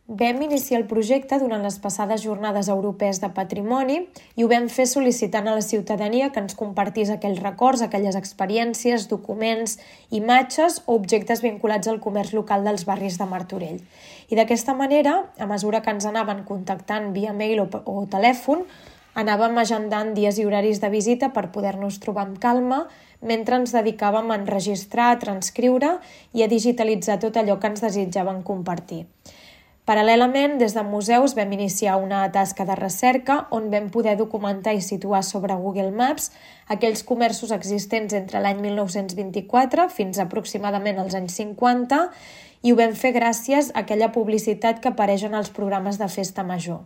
Vam iniciar el projecte durant les passades Jornades Europees de Patrimoni i ho vam fer sol·licitant a la ciutadania que ens compartís aquells records, aquelles experiències, documents, imatges o objectes vinculats al comerç local dels barris de Martorell. I d'aquesta manera, a mesura que ens anaven contactant via mail o telèfon, anàvem agendant dies i horaris de visita per poder-nos trobar amb calma mentre ens dedicàvem a enregistrar, a transcriure i a digitalitzar tot allò que ens desitjaven compartir. Paral·lelament, des de museus vam iniciar una tasca de recerca on vam poder documentar i situar sobre Google Maps aquells comerços existents entre l'any 1924 fins aproximadament als anys 50 i ho vam fer gràcies a aquella publicitat que apareix en els programes de festa major.